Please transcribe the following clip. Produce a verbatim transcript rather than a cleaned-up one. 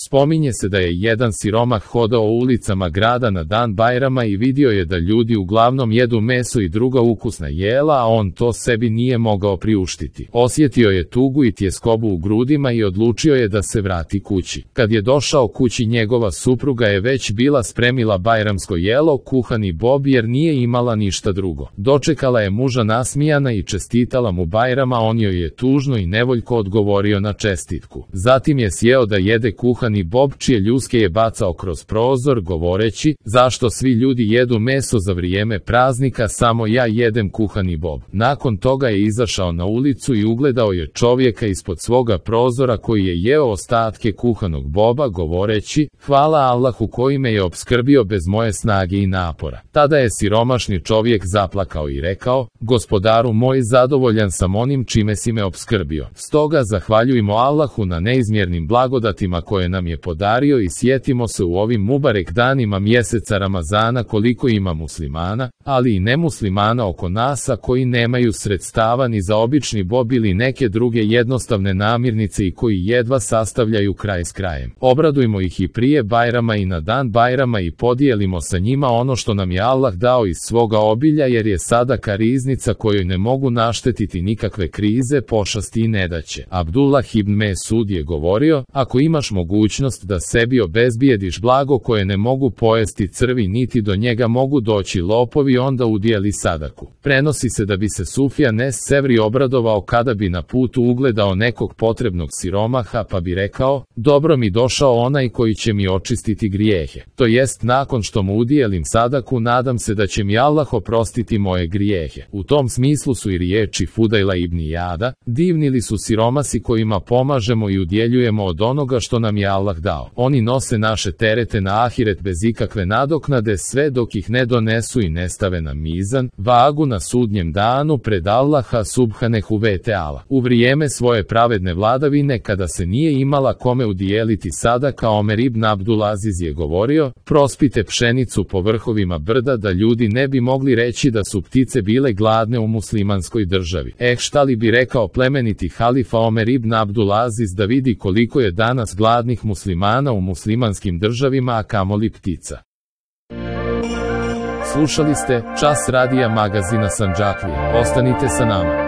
Spominje se da je jedan siromah hodao ulicama grada na dan Bajrama i vidio je da ljudi uglavnom jedu meso i druga ukusna jela, a on to sebi nije mogao priuštiti. Osjetio je tugu i tjeskobu u grudima i odlučio je da se vrati kući. Kad je došao kući, njegova supruga je već bila spremila bajramsko jelo, kuhani bob, jer nije imala ništa drugo. Dočekala je muža nasmijana i čestitala mu Bajrama, on joj je tužno i nevoljko odgovorio na čestitku. Zatim je sjeo da jede kuhani bob, čije ljuske je bacao kroz prozor, govoreći: zašto svi ljudi jedu meso za vrijeme praznika, samo ja jedem kuhani bob. Nakon toga je izašao na ulicu i ugledao je čovjeka ispod svoga prozora koji je jeo ostatke kuhanog boba, govoreći: hvala Allahu koji me je opskrbio bez moje snage i napora. Tada je siromašni čovjek zaplakao i rekao: gospodaru moj, zadovoljan sam onim čime si me opskrbio. Stoga zahvaljujmo Allahu na neizmjernim blagodatima koje nam je podario i sjetimo se u ovim mubarek danima mjeseca Ramazana koliko ima muslimana, ali i nemuslimana oko nas, a koji nemaju sredstava ni za obični bob ili neke druge jednostavne namirnice i koji jedva sastavljaju kraj s krajem. Obradujmo ih i prije Bajrama i na dan Bajrama i podijelimo sa njima ono što nam je Allah dao iz svoga obilja, jer je sadaka riznica kojoj ne mogu naštetiti nikakve krize, pošasti i nedaće. Abdullah ibn Mesud je govorio: ako imaš mogućnost da sebi obezbijediš blago koje ne mogu pojesti crvi niti do njega mogu doći lopovi, onda udijeli sadaku. Prenosi se da bi se Sufjan es-Sevri obradovao kada bi na putu ugledao nekog potrebnog siromaha, pa bi rekao: dobro mi došao onaj koji će mi očistiti grijehe. To jest, nakon što mu udijelim sadaku, nadam se da će mi Allah oprostiti moje grijehe. U tom smislu su i riječi Fudajla ibn Ijada: divni li su siromasi kojima pomažemo i udjeljujemo od onoga što nam je Allah dao. Oni nose naše terete na ahiret bez ikakve nadoknade, sve dok ih ne donesu i ne stave na mizan, vagu na sudnjem danu pred Allaha subhanehu ve teala. U vrijeme svoje pravedne vladavine, kada se nije imala kome udijeliti sadaka, Omer ibn Abdulaziz je govorio: prospite pšenicu po vrhovima brda da ljudi ne bi mogli reći da su ptice bile gladne u muslimanskoj državi. Eh, šta li bi rekao plemeniti halifa Omer ibn Abdulaziz da vidi koliko je danas gladnih muslimana u muslimanskim državima, a kamoli ptica. Slušali ste Čas radija magazina Sandžaklija. Ostanite sa nama.